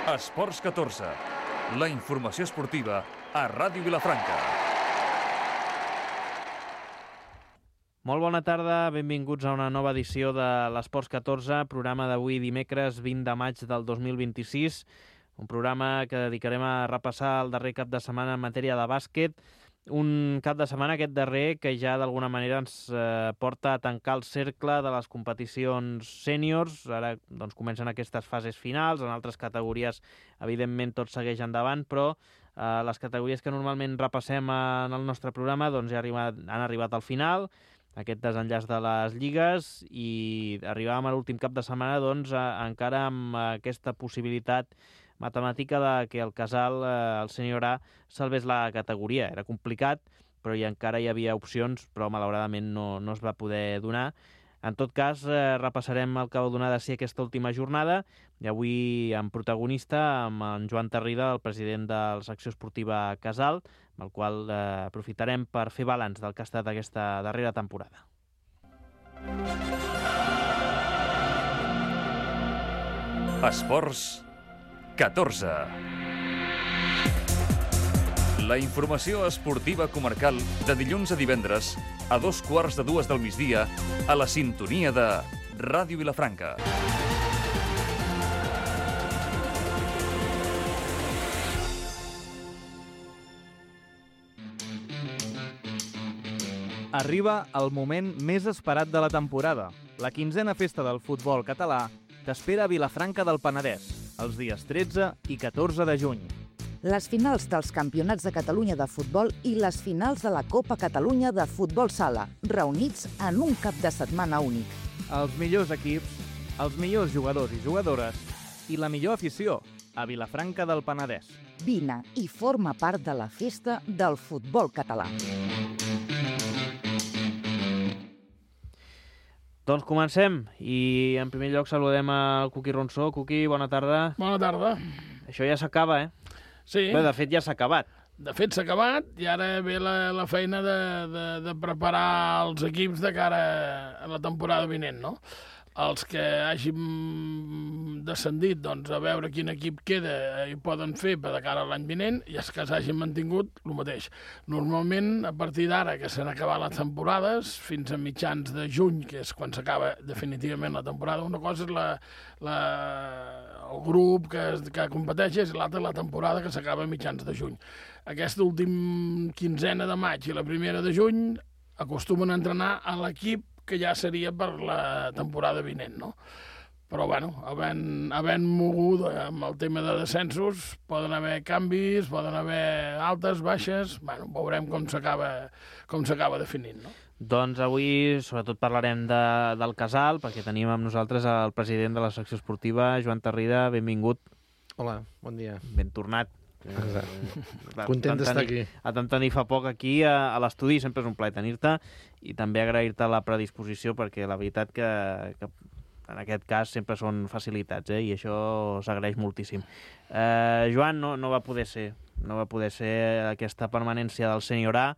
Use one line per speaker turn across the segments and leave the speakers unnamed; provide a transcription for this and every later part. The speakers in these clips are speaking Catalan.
Esports 14, la informació esportiva a Ràdio Vilafranca.
Molt bona tarda, benvinguts a una nova edició de l'Esports 14, programa d'avui dimecres 20 de maig del 2026, un programa que dedicarem a repassar el darrer cap de setmana en matèria de bàsquet, un cap de setmana aquest darrer que ja d'alguna manera ens porta a tancar el cercle de les competicions sèniors. Ara doncs, comencen aquestes fases finals, en altres categories evidentment tot segueix endavant, però les categories que normalment repassem en el nostre programa doncs, ja han arribat al final, aquest desenllaç de les lligues, i arribàvem a l'últim cap de setmana doncs, encara amb aquesta possibilitat matemàtica de que el Casal, el sènior A, salvés la categoria. Era complicat, però encara hi havia opcions, però malauradament no es va poder donar. En tot cas, repassarem el que va donar de si aquesta última jornada, i avui amb protagonista, amb en Joan Tarrida, el president de la secció esportiva Casal, amb el qual aprofitarem per fer balanç del que ha estat aquesta darrera temporada.
Esports 14. La informació esportiva comarcal de dilluns a divendres a 2:15 del migdia a la sintonia de Ràdio Vilafranca.
Arriba el moment més esperat de la temporada. La 15a festa del futbol català t'espera a Vilafranca del Penedès, els dies 13 i 14 de juny.
Les finals dels Campionats de Catalunya de futbol i les finals de la Copa Catalunya de futbol sala, reunits en un cap de setmana únic.
Els millors equips, els millors jugadors i jugadores i la millor afició a Vilafranca del Penedès.
Vine i forma part de la festa del futbol català.
Doncs comencem, i en primer lloc saludem al Cuqui Ronsó. Cuqui, bona tarda.
Bona tarda.
Això ja s'acaba,
Sí.
Bé, de fet ja s'ha acabat.
De fet s'ha acabat i ara ve la feina de preparar els equips de cara a la temporada vinent, no? Els que hagin descendit, doncs, a veure quin equip queda i poden fer per de cara a l'any vinent, i els que s'hagin mantingut, el mateix. Normalment, a partir d'ara, que s'han acabat les temporades, fins a mitjans de juny, que és quan s'acaba definitivament la temporada, una cosa és el grup que competeix i l'altra la temporada, que s'acaba a mitjans de juny. Aquesta última quinzena de maig i la primera de juny acostumen a entrenar a l'equip que ja seria per la temporada vinent, no? Però, bueno, havent mogut amb el tema de descensos, poden haver canvis, poden haver altes, baixes. Bueno, veurem com s'acaba definint, no?
Doncs avui sobretot parlarem del Casal, perquè tenim amb nosaltres el president de la secció esportiva, Joan Tarrida. Benvingut.
Hola, bon dia.
Ben tornat.
Content d'estar aquí.
Et vam tenir fa poc aquí a l'estudi, sempre és un plaer tenir-te, i també agrair-te la predisposició, perquè la veritat que en aquest cas sempre són facilitats, i això s'agraeix moltíssim. Joan, no va poder ser aquesta permanència del sènior A,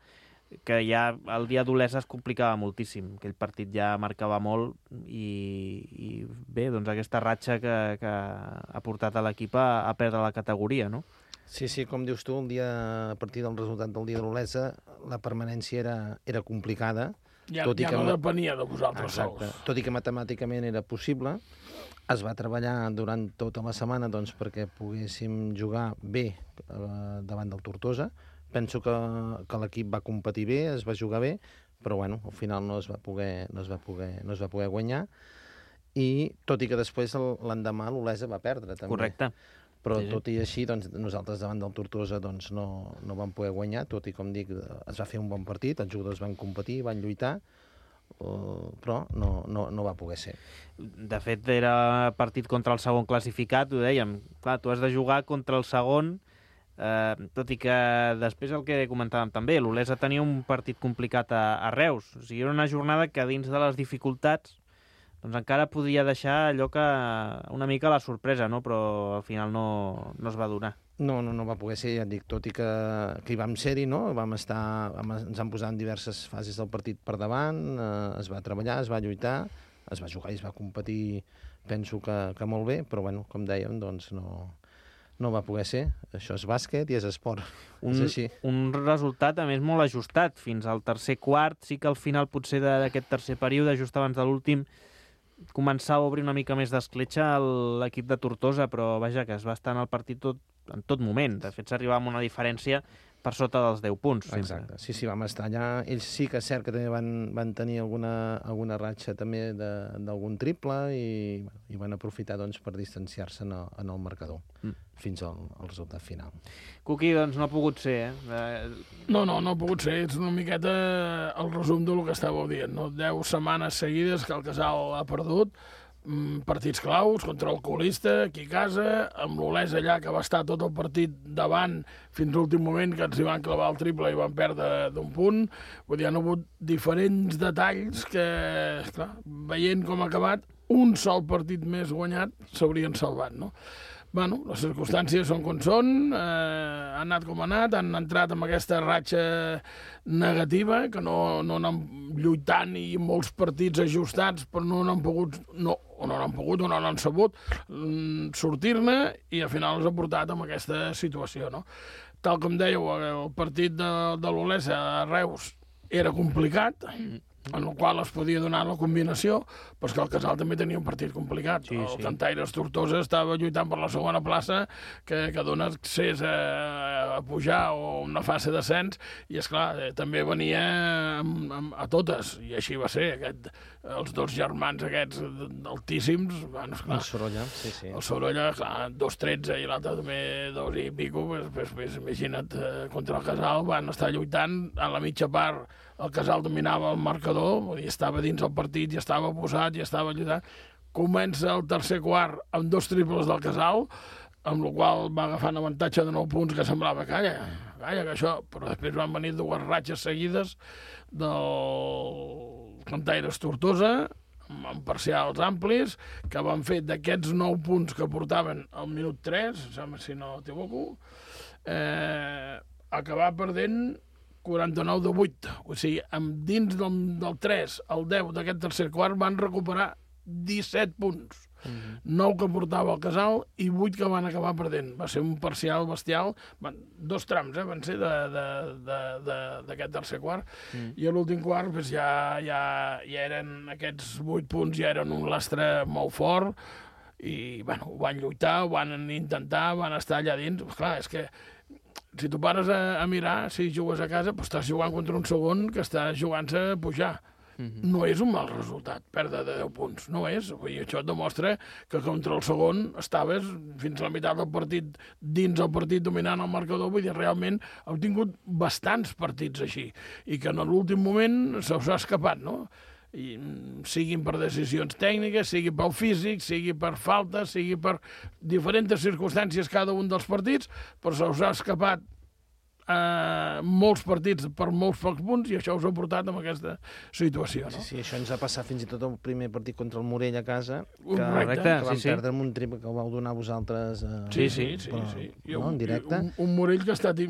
que ja el dia d'Olesa es complicava moltíssim. Aquell partit ja marcava molt i bé, doncs aquesta ratxa que ha portat a l'equip a perdre la categoria, no?
Sí, com dius tu, a partir del resultat del dia de l'Olesa, la permanència era complicada.
Ja no depenia de vosaltres sols.
Tot i que matemàticament era possible, es va treballar durant tota la setmana perquè poguéssim jugar bé davant del Tortosa. Penso que l'equip va competir bé, es va jugar bé, però bueno, al final no es va poder guanyar, i tot i que després l'endemà l'Olesa va perdre també.
Correcte.
Però tot i així, doncs, nosaltres davant del Tortosa no vam poder guanyar, tot i, com dic, es va fer un bon partit, els jugadors van competir, van lluitar, però no va poder ser.
De fet, era partit contra el segon classificat, ho dèiem. Clar, tu has de jugar contra el segon, tot i que després el que comentàvem també, l'Olesa tenia un partit complicat a Reus. O sigui, era una jornada que dins de les dificultats doncs encara podia deixar allò que una mica la sorpresa, no? Però al final no es va donar.
No va poder ser, ja et dic, tot i que hi vam ser-hi, no? Ens han posat en diverses fases del partit per davant, es va treballar, es va lluitar, es va jugar i es va competir, penso que molt bé, però bueno, com dèiem, doncs no va poder ser. Això és bàsquet i és esport. És així.
Un resultat, a més, molt ajustat. Fins al tercer quart, sí que al final potser d'aquest tercer període, just abans de l'últim, començava a obrir una mica més d'escletxa l'equip de Tortosa, però vaja, que es va estar en el partit en tot moment. De fet, s'arribava amb una diferència per sota dels 10 punts. Sempre.
Exacte, sí, vam estar allà. Ells sí que és cert que també van tenir alguna ratxa també d'algun triple i van aprofitar doncs, per distanciar-se en el marcador fins al resultat final.
Cuqui, doncs no ha pogut ser,
No ha pogut ser. És una miqueta el resum del que estàveu dient. No? 10 setmanes seguides que el Casal ha perdut, partits claus contra el colista aquí a casa, amb l'Olesa allà que va estar tot el partit davant fins a l'últim moment, que ens hi van clavar el triple i van perdre d'un punt. Vull dir, han hagut diferents detalls que, clar, veient com ha acabat, un sol partit més guanyat s'haurien salvat, no? Bueno, les circumstàncies són com són, han anat com ha anat, han entrat amb aquesta ratxa negativa, que no han lluitant i molts partits ajustats, però no han pogut o no han sabut sortir-ne i al final els ha portat amb aquesta situació, no? Tal com dèieu, el partit de l'Olesa a Reus era complicat, en el qual es podia donar la combinació, però que el Casal també tenia un partit complicat. Sí. El Cantaires Tortosa estava lluitant per la segona plaça, que dona accés a pujar o una fase d'ascens, i esclar, també venia a totes, i així va ser. Els dos germans aquests altíssims, bueno, esclar,
el Sorolla, sí.
El Sorolla, clar, 2-13 i l'altre també 2 i pico, pues, imagina't, contra el Casal van estar lluitant a la mitja part. El Casal dominava el marcador, vull dir, estava dins el partit, ja estava posat, ja estava lluitant. Comença el tercer quart amb 2 triples del Casal, amb la qual va agafant avantatge de 9 punts, que semblava, calla, que això... Però després van venir 2 ratxes seguides del Cantaires Tortosa, amb parcials amplis, que van fer d'aquests 9 punts que portaven al minut 3, si no t'equivoco, acabar perdent 49-8. O sigui, dins del 3 al 10 d'aquest tercer quart van recuperar 17 punts. 9 que portava el Casal i 8 que van acabar perdent. Va ser un parcial bestial. 2 trams van ser d'aquest tercer quart. I a l'últim quart ja eren aquests 8 punts, ja eren un lastre molt fort i ho van lluitar, ho van intentar, van estar allà dins. Clar, és que si tu pares a mirar, si jugues a casa, doncs estàs jugant contra un segon que està jugant-se a pujar. No és un mal resultat, perdre de 10 punts, no és. I això et demostra que contra el segon estaves fins a la meitat del partit, dins el partit dominant el marcador, vull dir, realment heu tingut bastants partits així, i que en l'últim moment se us ha escapat, no? I, siguin per decisions tècniques, sigui pel físic, sigui per falta, sigui per diferents circumstàncies cada un dels partits, però se us ha escapat molts partits per molts pocs punts i això us ha portat en aquesta situació. No?
Sí, això ens ha passat fins i tot el primer partit contra el Morell a casa, que
vam
perdre amb un triple que ho vau donar vosaltres
sí.
No, en directe.
Un Morell que ha estat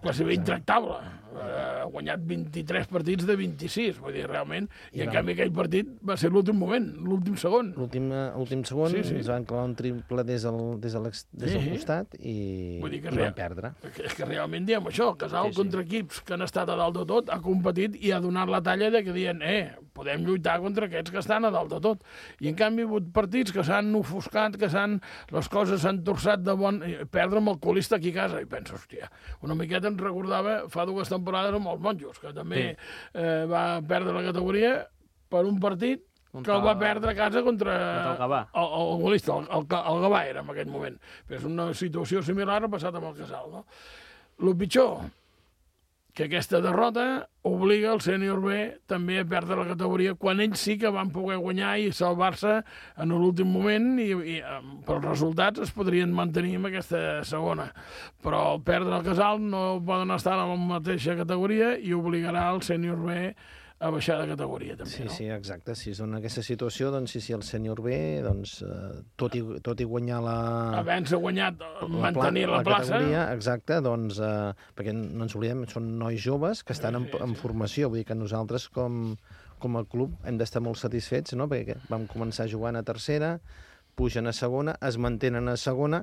quasi bé intractable. Ha guanyat 23 partits de 26, vull dir, realment, i en canvi aquell partit va ser l'últim moment, l'últim segon.
L'últim segon ens van clavar un triple des del costat i van perdre.
És que realment diem això, el Casal contra equips que han estat a dalt de tot ha competit i ha donat la talla de que diuen podem lluitar contra aquests que estan a dalt de tot. I en canvi hi ha hagut partits que s'han ofuscat, que les coses s'han torçat de bon... Perdre amb el colista aquí a casa. I penso, hòstia, una miqueta ens recordava fa 2 temporades amb els Monjos, que també va perdre la categoria per un partit que el va perdre a casa contra
el Gavà.
El golista, el Gavà era en aquell moment. Però és una situació similar ha passat amb el Casal, no? El pitjor, que aquesta derrota obliga el sènior B també a perdre la categoria quan ells sí que van poder guanyar i salvar-se en l'últim moment i pels resultats es podrien mantenir en aquesta segona. Però al perdre el Casal no poden estar en la mateixa categoria i obligarà el sènior B a baixar de categoria, també, no?
Sí, exacte. Si és en aquesta situació, doncs sí, el sènior B, doncs, tot i guanyar
havent-se guanyat, mantenir la plaça.
Categoria, exacte, doncs, perquè no ens oblidem, són nois joves que estan en formació, vull dir que nosaltres com a club hem d'estar molt satisfets, no? Perquè vam començar jugant a tercera, pugen a segona, es mantenen a segona,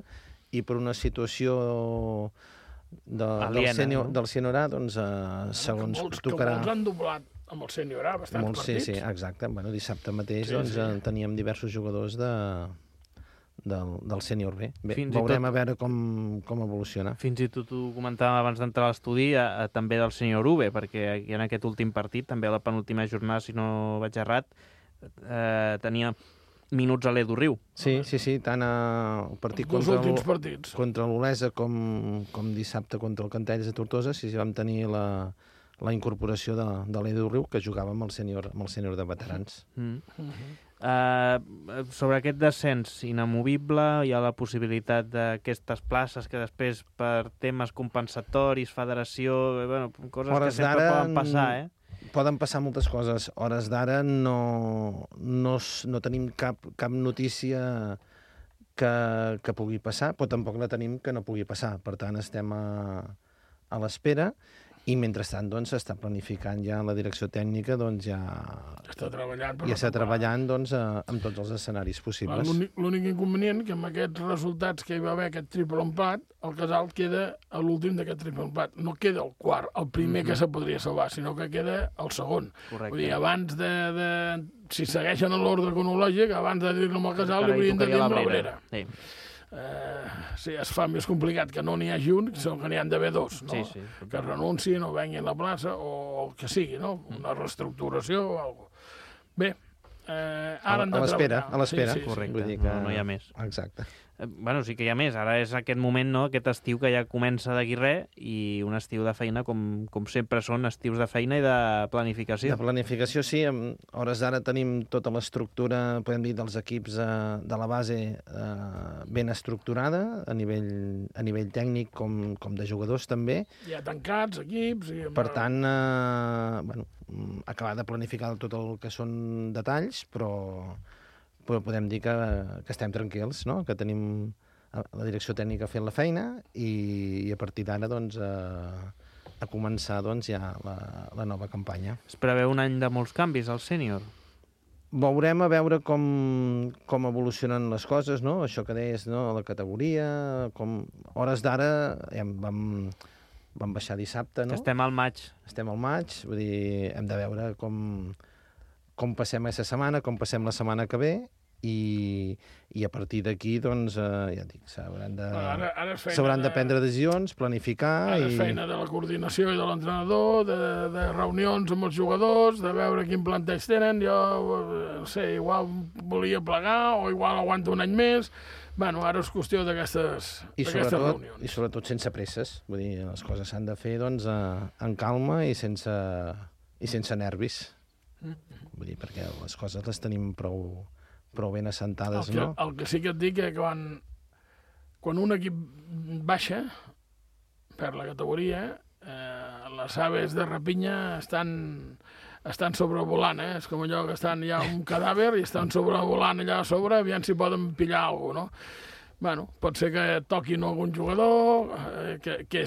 i per una situació del sènior A, doncs, segons tocarà...
Que molts han doblat amb el sènior A, bastants partits.
Sí, exacte. Bueno, dissabte mateix teníem diversos jugadors del sènior B. Bé, veurem a veure com evoluciona.
Fins i tot ho comentàvem abans d'entrar a l'estudi, també del sènior UB, perquè en aquest últim partit, també a la penúltima jornada, si no vaig errat, tenia minuts a l'Edu Riu.
Sí, tant el partit contra l'Olesa com dissabte contra el Cantelles de Tortosa, vam tenir la incorporació de l'Edu Riu, que jugava amb el sènior de veterans.
Sobre aquest descens inamovible, hi ha la possibilitat d'aquestes places que després, per temes compensatoris, federació, coses que sempre poden passar,
Poden passar moltes coses. Hores d'ara no tenim cap notícia que pugui passar, però tampoc la tenim que no pugui passar. Per tant, estem a l'espera i, mentrestant, doncs, s'està planificant ja la direcció tècnica, doncs, ja
està
treballant doncs, amb tots els escenaris possibles.
L'únic inconvenient que amb aquests resultats que hi va haver, aquest triple empat, el Casal queda a l'últim d'aquest triple empat. No queda el quart, el primer que se podria salvar, sinó que queda el segon.
Correcte.
Vull dir, abans si segueixen l'ordre cronològic, abans de dir-lo amb el Casal, li haurien de dir amb l'Abrera. Sí, es fa més complicat que no n'hi hagi un, sinó que n'hi han d'haver dos, no?
Sí.
Que renunciïn o venguin a la plaça, o el que sigui, no? Una reestructuració o alguna cosa. Bé, ara han de treballar.
A l'espera.
Sí, correcte,
vull dir que...
no hi ha més.
Exacte.
Sí que hi ha més. Ara és aquest moment, no?, aquest estiu que ja comença d'aquí res, i un estiu de feina, com sempre són estius de feina i de planificació.
De planificació, sí. A hores d'ara tenim tota l'estructura, podem dir, dels equips de la base ben estructurada, a nivell tècnic com de jugadors també.
Ja tancats, equips...
Per tant, acabar de planificar tot el que són detalls, però podem dir que estem tranquils, no? Que tenim la direcció tècnica fent la feina i a partir d'ara, doncs, a començar, doncs, ja la nova campanya.
Es preveu un any de molts canvis al sènior?
Veurem a veure com evolucionen les coses, no? Això que deies, no? La categoria, hores d'ara vam baixar dissabte, no?
Estem al maig.
Vull dir, hem de veure com passem aquesta setmana, com passem la setmana que ve, i a partir d'aquí, doncs, ja dic, s'hauran de prendre decisions, planificar...
Ara és feina de la coordinació i de l'entrenador, de reunions amb els jugadors, de veure quin planteig tenen. Jo, no sé, igual volia plegar o igual aguanto un any més. Ara és qüestió d'aquestes reunions.
I sobretot sense presses. Vull dir, les coses s'han de fer, doncs, en calma i sense nervis. Vull dir, perquè les coses les tenim prou ben assentades, no?
El que sí que et dic és que quan un equip baixa per la categoria, les aves de rapinya estan sobrevolant, És com allò que estan ja un cadàver i estan sobrevolant allà a sobre, aviam si poden pillar alguna cosa, no? Pot ser que toquin algun jugador que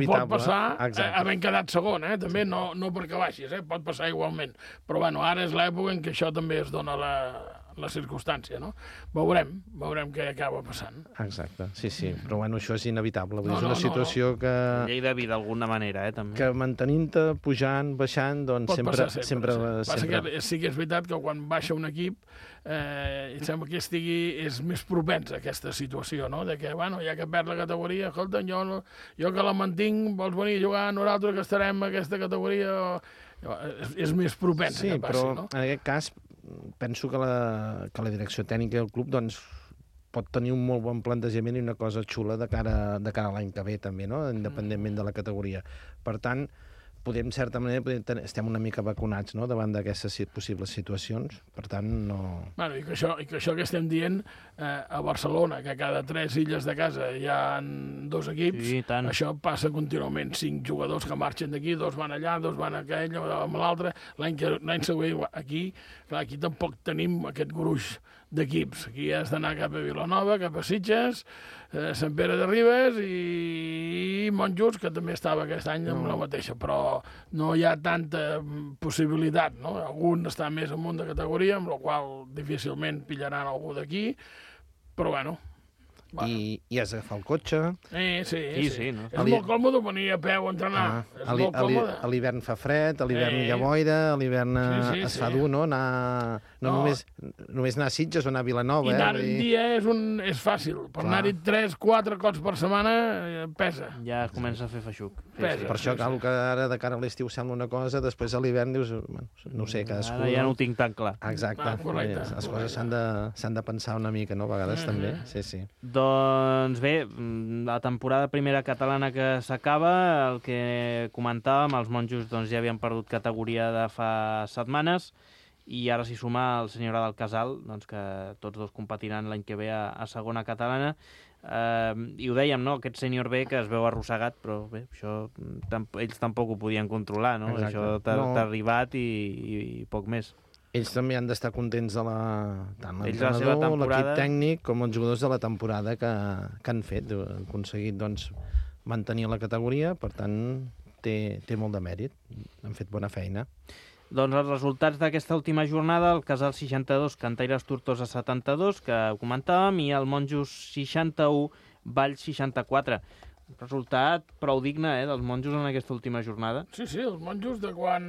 pot passar havent quedat segon, també no perquè baixis, pot passar igualment. Però ara és l'època en què això també es dona la circumstància, no? Veurem què acaba passant.
Exacte, sí, però això és inevitable. És una situació que...
Llei de vida, d'alguna manera, també.
Que mantenint-te, pujant, baixant, doncs sempre...
Passa que sí que és veritat que quan baixa un equip em sembla que és més propens a aquesta situació, no? De que, ja que perd la categoria, escolta, jo que la mantinc, vols venir a jugar, nosaltres que estarem en aquesta categoria, és més propens que passi, no?
En aquest cas, penso que la direcció tècnica del club, doncs, pot tenir un molt bon plantejament i una cosa xula de cara a l'any que ve, també, no? Independentment de la categoria. Per tant, en certa manera, estem una mica vacunats, no?, davant d'aquestes possibles situacions. Per tant, no...
I que això que estem dient a Barcelona, que cada 3 illes de casa hi ha 2 equips, això passa contínuament. 5 jugadors que marxen d'aquí, 2 van allà, 2 van a aquell, amb l'altre. L'any següent, aquí tampoc tenim aquest gruix d'equips. Aquí has d'anar cap a Vilanova, cap a Sitges, Sant Pere de Ribes i Monjos, que també estava aquest any amb la mateixa, però no hi ha tanta possibilitat, no? Algun està més amunt de categoria, amb la qual difícilment pillaran algú d'aquí, però
i has d'agafar el cotxe.
Sí. No? És molt còmode venir a peu a entrenar. És molt còmode.
A l'hivern fa fred, a l'hivern hi ha boira, a l'hivern es fa dur, no? Només anar a Sitges o anar a Vilanova.
I anar un dia és fàcil. Per anar-hi 3-4 cops per setmana pesa.
Ja comença a fer feixuc.
Pesa.
Per això cal que ara de cara a l'estiu sembla una cosa, després a l'hivern dius, no sé, cadascú...
Ara ja no ho tinc tan clar.
Exacte. Les coses s'han de pensar una mica, no? A vegades també. Sí.
Doncs bé, la temporada primera catalana que s'acaba, el que comentàvem, els monjos doncs, ja havien perdut categoria de fa setmanes i ara s'hi suma el Senyora del Casal, doncs, que tots dos competiran l'any que ve a segona catalana. I ho dèiem, no? Aquest sènior B que es veu arrossegat, però bé, això ells tampoc ho podien controlar, no?
Exacte.
Això t'ha arribat i poc més.
Ells també han d'estar contents de tant
l'entrenador,
l'equip tècnic com els jugadors de la temporada que han fet. Han aconseguit doncs, mantenir la categoria, per tant té molt de mèrit. Han fet bona feina.
Doncs els resultats d'aquesta última jornada, el Casal 62, Cantaires Tortosa 72, que ho comentàvem, i el Monjos 61, Valls 64. Resultat prou digne, dels monjos en aquesta última jornada.
Sí, els monjos de quan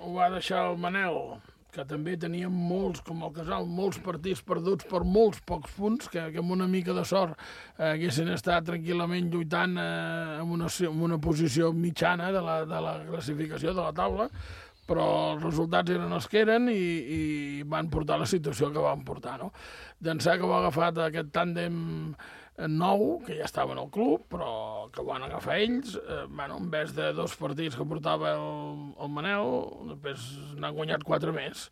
ho va deixar el Manel, que també teníem molts, com el Casal, molts partits perduts per molts pocs punts, que amb una mica de sort haguessin estat tranquil·lament lluitant en una posició mitjana de la classificació de la taula, però els resultats eren els que eren i van portar la situació que van portar, no? D'ençà que ho ha agafat aquest tàndem nou, que ja estava en el club, però que ho van agafar ells, en vez de 2 partits que portava el Manel, després n'han guanyat 4 més,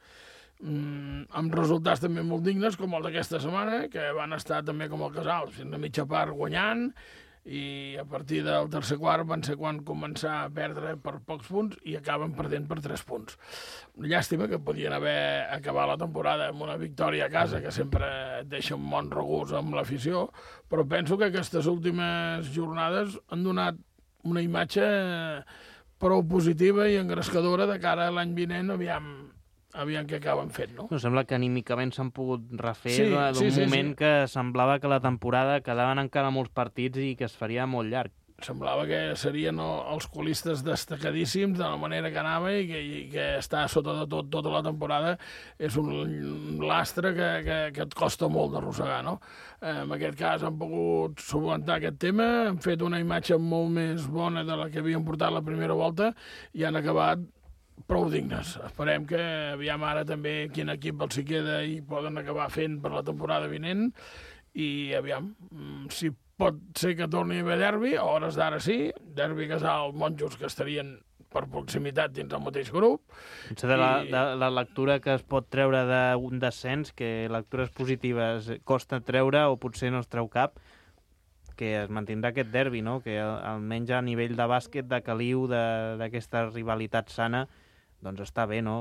amb resultats també molt dignes, com el d'aquesta setmana, que van estar també com el Casal, fins a mitja part guanyant, i a partir del tercer quart van ser quan començar a perdre per pocs punts i acaben perdent per 3 punts. Llàstima que podien haver acabat la temporada amb una victòria a casa, que sempre et deixa un bon regust amb l'afició, però penso que aquestes últimes jornades han donat una imatge prou positiva i engrescadora de cara a l'any vinent, aviam què acaben fent, no?
Sembla que anímicament s'han pogut refer d'un moment que semblava que la temporada quedaven encara molts partits i que es faria molt llarg.
Semblava que serien els colistes destacadíssims de la manera que anava i que està sota de tot tota la temporada és un lastre que et costa molt d'arrossegar, no? En aquest cas han pogut solucionar aquest tema, han fet una imatge molt més bona de la que havien portat la primera volta i han acabat prou dignes. Esperem que aviam ara també quin equip els hi queda i poden acabar fent per la temporada vinent i aviam si pot ser que torni a haver derbi, a hores d'ara sí, derbi Casal, Monjos, que estarien per proximitat dins el mateix grup.
Potser de la lectura que es pot treure d'un descens, que lectures positives costa treure o potser no es treu cap, que es mantindrà aquest derbi, no? Que almenys a nivell de bàsquet, de caliu, d'aquesta rivalitat sana, doncs està bé, no?,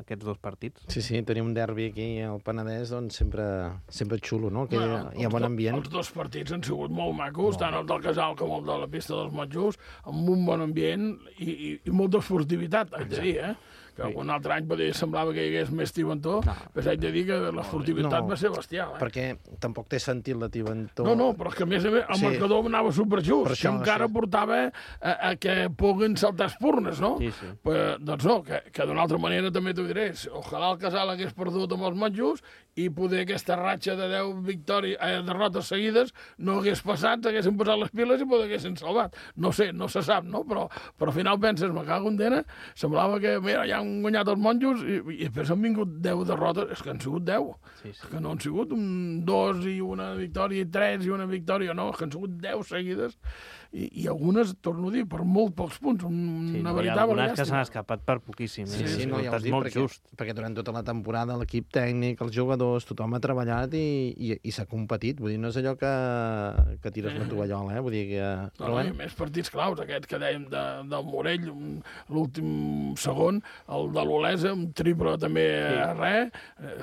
aquests 2 partits.
Sí, tenim un derbi aquí al Penedès, doncs sempre xulo, no?, que hi ha bon ambient.
Els 2 partits han sigut molt macos, tant el del Casal com el de la pista dels Monjos, amb un bon ambient i molta furtivitat, haig de dir, que un altre any semblava que hi hagués més tibantó, però haig de dir que la furtivitat va ser bestial.
Perquè tampoc té sentit la tibantó.
No, però és que a més el marcador anava superjust, que encara portava a que puguin saltar espurnes, no?
Sí.
Doncs no, que d'una altra manera també t'ho diré, ojalà el Casal hagués perdut amb els Monjos i poder aquesta ratxa de 10 derrotes seguides no hagués passat, s'haguessin posat les piles i poder haguessin salvat. No sé, no se sap, no? Però al final penses, me cago en dena, semblava que, mira, ja han guanyat els Monjos i després han vingut 10 derrotes, és que han sigut 10.
Sí.
Que no han sigut 2 i una victòria i 3 i una victòria, no, és que han sigut 10 seguides i algunes, torno a dir, per molt pocs punts, una veritable
llàstima. Que s'han escapat per poquíssim.
Sí, no, ja ho dic, perquè durant tota la temporada l'equip tècnic, els jugadors, tothom ha treballat i s'ha competit, vull dir, no és allò que tires la tovallola, vull dir que...
No, i més partits claus, aquest que dèiem del Morell, l'últim segon, el de l'Olesa, un triple també a res,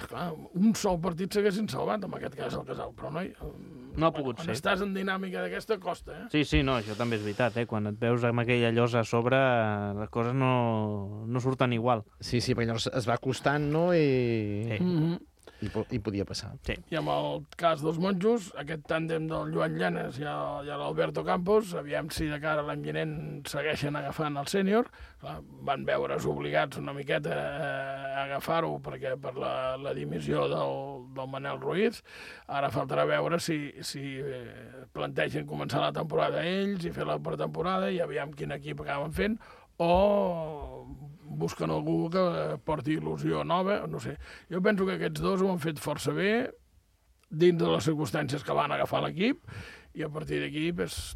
clar, un sol partit s'haguessin salvat, en aquest cas el Casal, però
no ha pogut ser.
Quan estàs en dinàmica d'aquesta, costa,
Sí, no, això també és veritat, quan et veus amb aquella llosa a sobre, les coses no surten igual.
Sí, perquè llavors es va costant, no? I podia passar.
Sí.
I amb el cas dels monjos, aquest tàndem del Joan Llanes i l'Alberto Campos, aviam si de cara a l'any vinent segueixen agafant el sènior. Van veure's obligats una miqueta a agafar-ho perquè per la dimissió del Manel Ruiz. Ara faltarà veure si plantegen començar la temporada ells i fer la pretemporada i aviam quin equip acaben fent, o busquen algú que porti il·lusió nova, no sé. Jo penso que aquests dos ho han fet força bé dins de les circumstàncies que van agafar l'equip i a partir d'aquí,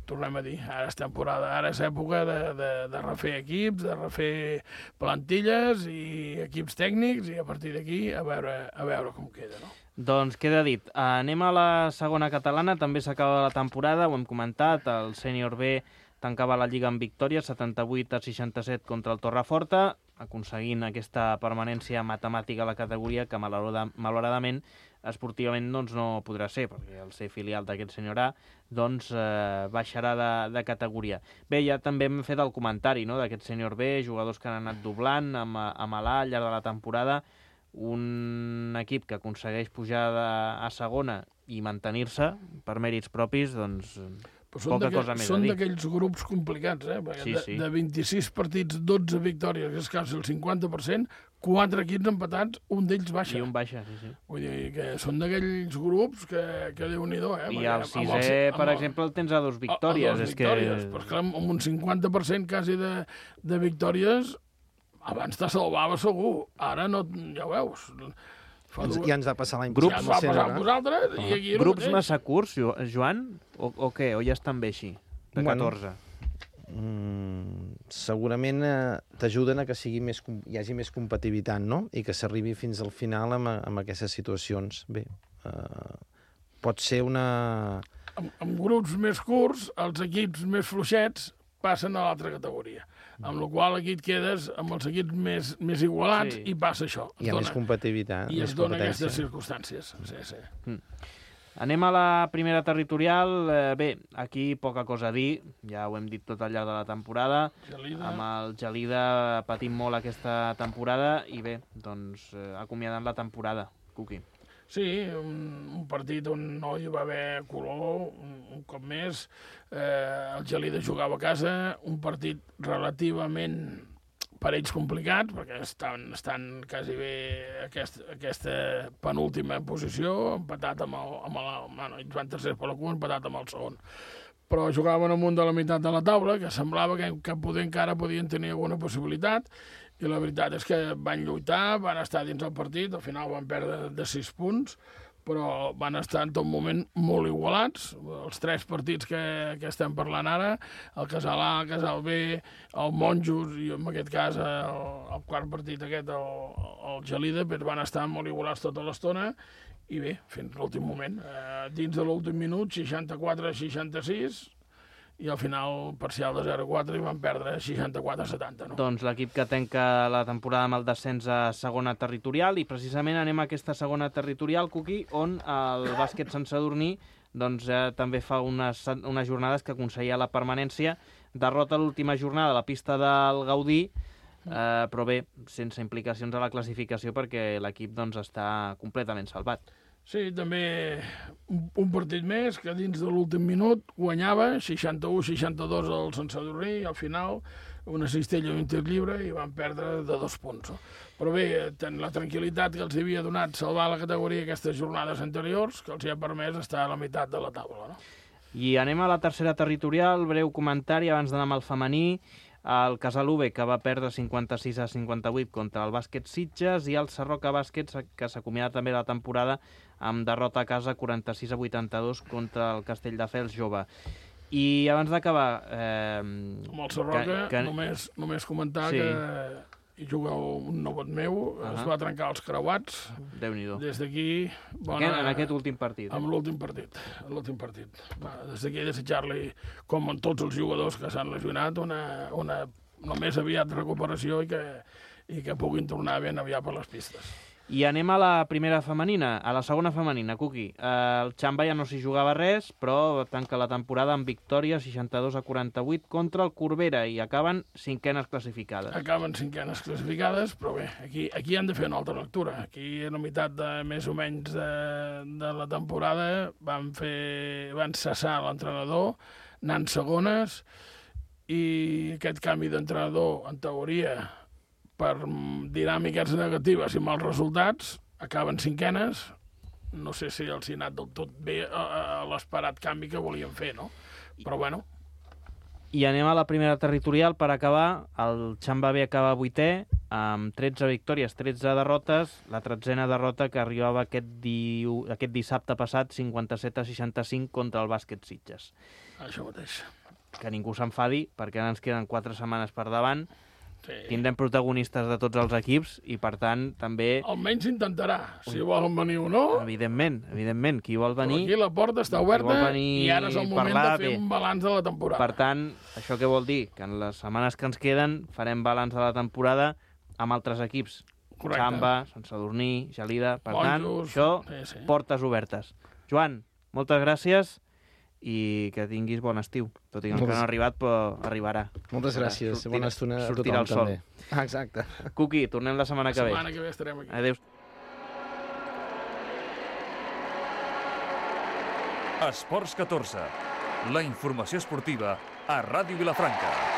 tornem a dir, ara és temporada, ara és època de refer equips, de refer plantilles i equips tècnics i a partir d'aquí a veure com queda, no?
Doncs queda dit. Anem a la segona catalana, també s'acaba la temporada, ho hem comentat, el sènior B tancava la Lliga amb victòria, 78-67 contra el Torreforta, aconseguint aquesta permanència matemàtica a la categoria que malauradament esportivament doncs, no podrà ser, perquè el ser filial d'aquest senyor A doncs, baixarà de categoria. Bé, ja també hem fet el comentari, no?, d'aquest senyor B, jugadors que han anat doblant amb l'A al llarg de la temporada, un equip que aconsegueix pujar a segona i mantenir-se per mèrits propis, doncs poca cosa més a dir.
Són d'aquells grups complicats, perquè de 26 partits, 12 victòries, que és quasi el 50%, 4 equips empatats, un d'ells baixa.
I un baixa, sí.
Vull dir que són d'aquells grups que Déu-n'hi-do,
I el sisè, per exemple, el tens a 2 victòries.
A 2 victòries, però clar, amb un 50% quasi de victòries, abans te salvava segur. Ara no, ja ho veus.
Ja ens va passar l'any
passat. Ja ens va passar amb vosaltres.
Grups massa curts, Joan? O què? O ja estan bé així? De 14?
Segurament t'ajuden a que hi hagi més competitivitat, no? I que s'arribi fins al final amb aquestes situacions. Bé, pot ser una...
Amb grups més curts, els equips més fluixets passen a l'altra categoria. Amb la qual aquí et quedes amb els equips més igualats i passa això.
Hi ha més competitivitat.
I es dona aquestes circumstàncies. Sí.
Anem a la primera territorial. Bé, aquí poca cosa a dir, ja ho hem dit tot al llarg de la temporada. Amb el Gelida patim molt aquesta temporada i bé, doncs acomiadant la temporada. Cuqui.
Sí, un partit on no hi va haver color, un cop més. El Gelida jugava a casa, un partit relativament per ells complicat, perquè estan quasi bé aquesta penúltima posició, empatat ells van tercers per la cua, empatat amb el segon. Però jugaven amunt de la meitat de la taula, que semblava que encara podien tenir alguna possibilitat, i la veritat és que van lluitar, van estar dins el partit, al final van perdre de 6 punts, però van estar en tot moment molt igualats. Els 3 partits que estem parlant ara, el Casal A, el Casal B, el Monjos i en aquest cas el quart partit aquest, el Gelida, van estar molt igualats tota l'estona i bé, fins l'últim moment. Dins de l'últim minut, 64-66, i al final parcial de 0-4 i van perdre 64-70. No?
Doncs l'equip que tanca la temporada amb el descens a segona territorial i precisament anem a aquesta segona territorial, Cuqui, on el bàsquet Sant Sadurní doncs, també fa unes jornades que aconseguia la permanència. Derrota l'última jornada a la pista del Gaudí, però bé, sense implicacions a la classificació perquè l'equip doncs, està completament salvat.
Sí, també un partit més que dins de l'últim minut guanyava 61-62 al Sant Sadurní i al final una cistella i un tir lliure i van perdre de 2 punts. Però bé, la tranquil·litat que els havia donat salvar la categoria aquestes jornades anteriors que els hi ha permès estar a la meitat de la taula. No?
I anem a la tercera territorial, breu comentari abans d'anar amb el femení. El Casal UB, que va perdre 56-58 contra el Bàsquet Sitges, i el Sarroca Bàsquet, que s'acomiada també la temporada amb derrota a casa 46-82 contra el Castelldefels Jove. I abans d'acabar...
Amb el Sarroca, només comentar que hi juga un nebot meu, es va trencar els creuats.
Déu-n'hi-do.
Des d'aquí...
En aquest últim partit.
Amb l'últim partit. Des d'aquí desitjar-li, com en tots els jugadors que s'han lesionat, una només aviat recuperació i que puguin tornar ben aviat per les pistes.
I anem a la primera femenina, a la segona femenina, Cuqui. El Xamba ja no s'hi jugava res, però tanca la temporada amb victòria 62-48 contra el Corbera i acaben 5enes classificades.
Acaben 5enes classificades, però bé, aquí han de fer una altra lectura. Aquí, a la meitat de més o menys de la temporada, van cessar l'entrenador, anant segones, i aquest canvi d'entrenador, en teoria, per dinàmiques negatives i mals resultats, acaben 5enes. No sé si els hi ha anat del tot bé a l'esperat canvi que volien fer, no? Però bueno.
I anem a la primera territorial per acabar. El Xamba B acaba 8è, amb 13 victòries, 13 derrotes. La 13a derrota que arribava aquest dissabte passat, 57-65 contra el Bàsquet Sitges.
Això mateix.
Que ningú s'enfadi, perquè ara ens queden 4 setmanes per davant.
Sí.
Tindrem protagonistes de tots els equips i, per tant, també...
Almenys intentarà, si volen venir o no.
Evidentment, qui vol venir...
Però aquí la porta està oberta i ara és el moment de fer un balanç de la temporada.
Per tant, això què vol dir? Que en les setmanes que ens queden farem balanç de la temporada amb altres equips.
Correcte.
Xamba, Sant Sadurní, Gelida... Per tant,
Monjos,
això,
sí.
Portes obertes. Joan, moltes gràcies i que tinguis bon estiu. Tot i que encara no ha arribat, però arribarà.
Moltes gràcies. Bona estona a
sortirà
tothom,
el sol.
també. Exacte.
Cuqui, tornem la setmana que ve.
La setmana que ve estarem aquí.
Adéu.
Esports 14. La informació esportiva a Ràdio Vilafranca.